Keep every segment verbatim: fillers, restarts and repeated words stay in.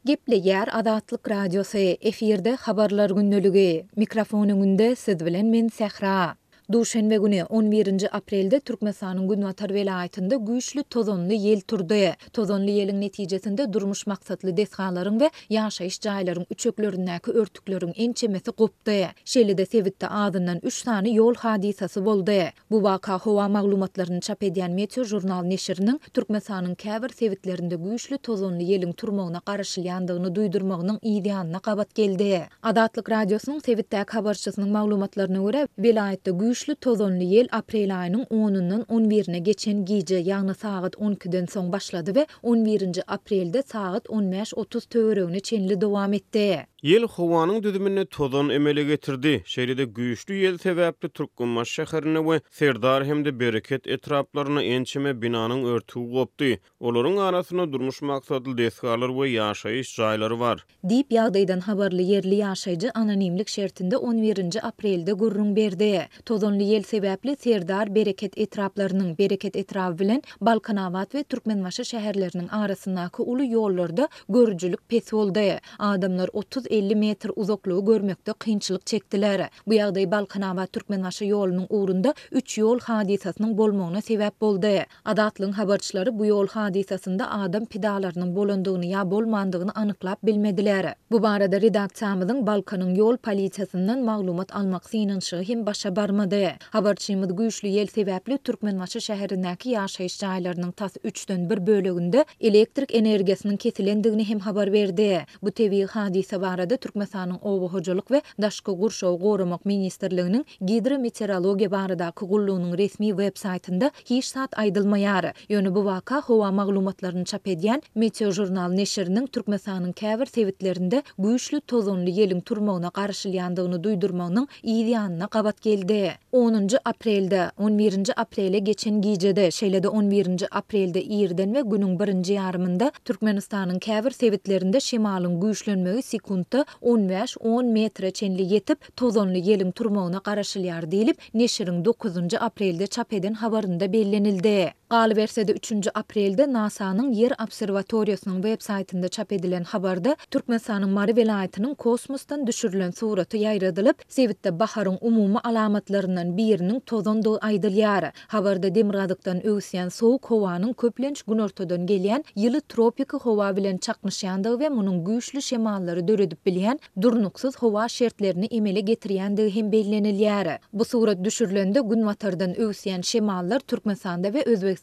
Gepleýär Azatlyk Radiosy, efirde Habarlar gündeligi. Mikrofon öňünde siz bilen men Sähra. Duşenbe güni, on birinji aprelde Türkmenistanyň günbatar welaýatynda güýçli tozanly ýel turdy. Tozanly ýeliň netijesinde durmuş maksatly desgalaryň we ýaşaýyş jaýlaryň üçeklerindäki örtükleriň ençemesi gopdy. Şeýle-de sebitde azyndan üç sany ýol hadysasy boldy. Bu waka howa maglumatlaryny çap edýän Meteožurnal neşiriniň Türkmenistanyň käbir sebitlerinde güýçli tozanly ýeliň turmagyna garaşylýandygyny duýdurmagynyň yzýanyna gabat geldi. Azatlyk Radiosynyň sebitdäki habarçysynyň maglumatlaryna görä, welaýatda güýçli tozanly ýel aprel aýynyň onundan on birine geçen gije, ýagny sagat on ikiden soň başlady we on birinji aprelde sagat on bäş otuz töweregine çenli dowam etdi. Ýel howanyň düzüminde tozan emele getirdi. Şeýle-de güýçli ýel sebäpli Türkmenbaşy şäherinde we Serdar hem-de Bereket etraplarynda ençeme binanyň örtügi gopdy. Olaryň arasynda durmuş maksatly desgalar we ýaşaýyş jaýlary bar. Diýip, ýagdaýdan habarly ýerli ýaşaýjy anonimlik şertinde on birinji aprelde gürrüň berdi. Tozanly ýel sebäpli Serdar, Bereket etraplarynyň, Bereket etraby bilen Balkanabat we Türkmenbaşy şäherleriniň arasyndaky uly ýollarda görüjilik pes boldy. Adamlar otuz-elli metr uzaklygy görmekde kynçylyk çekdiler. Bu ýagdaý Balkanabat-Türkmenbaşy ýolunyň ugrunda üç ýol hadysasynyň bolmagyna sebäp boldy. Azatlygyň habarçylary bu ýol hadysasynda adam pidalarynyň bolandygyny ýa bolmandygyny anyklap bilmediler. Bu barada redaksiýamyzyň Balkanyň ýol polisiýasyndan maglumat almak synanyşygy hem başa barmady. Habarçymyz güýçli ýel sebäpli Türkmenbaşy şäherindäki ýaşaýyş jaýlarynyň tas üçden bir böleginde elektrik energiýasynyň kesilendigini hem habar berdi. Bu tebigy hadysa barada Türkmenistanyň Oba hojalyk we daşky gurşawy goramak ministrliginiň gidrometeorologiýa baradaky gullugynyň resmi web saýtynda hiç zat aýdylmaýar. Ýöne bu waka howa maglumatlaryny çap edýän Meteožurnal neşiriniň Türkmenistanyň käbir sebitlerinde güýçli tozanly ýeliň turmagyna garaşylýandygyny duýdurmagynyň yz ýanyna gabat geldi. Onunjy aprelde, on birinji aprele geçen gijede, şeýle-de on birinji aprelde irden we günüň birinji ýarymynda Türkmenistanyň käbir sebitlerinde şemalyň güýçlenmegi sekuntda on bäş-on metre çenli ýetip, tozanly ýeliň turmagyna garaşylýar diýlip, neşiriň dokuzynjy aprelde çap eden habarynda bellenildi. Galyberse-de üçünji aprelde NASA-nyň Ýer obserwatoriýasynyň web saýtynda çap edilen habarda Türkmenistanyň Mary welaýatynyň kosmosdan düşürilen suraty ýaýradylyp, sebitde baharyň umumy alamatlaryndan biriniň tozandygy aýdylýar. Habarda demirgazykdan öwüsýän sowuk howanyň köplenç günortadan gelýän ýyly tropiki howa bilen çaknyşýandygy we munuň güýçli şemallary döredip bilýän durnuksyz howa şertlerini emele getirýändigi hem bellenilýär. Bu surat düşürilende günbatardan öwüsýän şemallar Türkmenistanda we Özbegistanda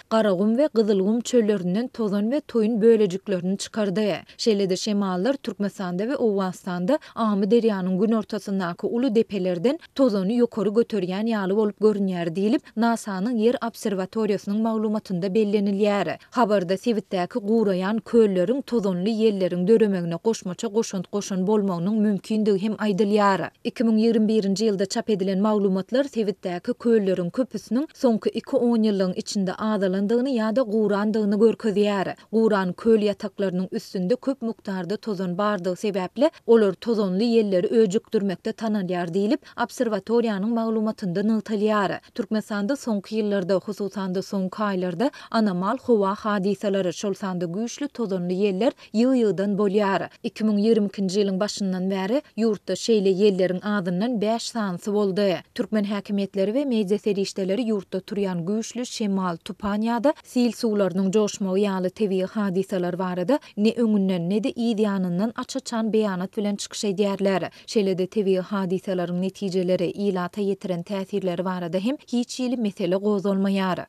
Garagum we Gyzylgum çöllerinden tozan we toýun bölejiklerini çykardy. Şeýle-de şemallar Türkmenistanda we Owganystanda Amy derýanyň günortasyndaky uly depelerden tozany ýokary göterýän ýaly bolup görünýär diýlip, NASA-nyň Ýer obserwatoriýasynyň maglumatynda bellenilýär. Habarda sebitdäki guraýan kölleriň tozanly ýelleriň döremegine goşmaça goşant goşan bolmagynyň mümkindigi hem aýdylýar. Iki müň ýigrimi birinji ýylda çap edilen maglumatlar sebitdäki kölleriň köpüsiniň soňky iki on ýyllygyň içinde azalandygyny ýa-da gurandygyny görkezýär. Guran köl ýataklarynyň üstünde köp mukdarda tozan bardygy sebäpli olar tozanly ýelleri öjükdirmekde tanalýar diýlip, obserwatoriýanyň maglumatynda nygtalýar. Türkmenistanda soňky ýyllarda, hususan-da soňky aýlarda anomal howa hadysalary, şol sanda güýçli tozanly ýeller ýygy-ýygydan bolýar. Iki müň ýigrimi ikinji ýylyň başyndan bäri ýurtda şeýle ýelleriň azyndan bäş sanysy boldy. Türkmen häkimiýetleri we media serişdeleri ýurtda turýan güýçli şemal, tupan ýa-da sil suwlarynyň joşmagy ýaly tebigy hadysalar barada ne öňünden, ne-de yz ýanyndan aç-açan beýanat bilen çykyş edýärler. Şeýle-de tebigy hadysalaryň netijeleri, ilata ýetiren täsirleri barada hem hiç hili mesele gozgalmaýar.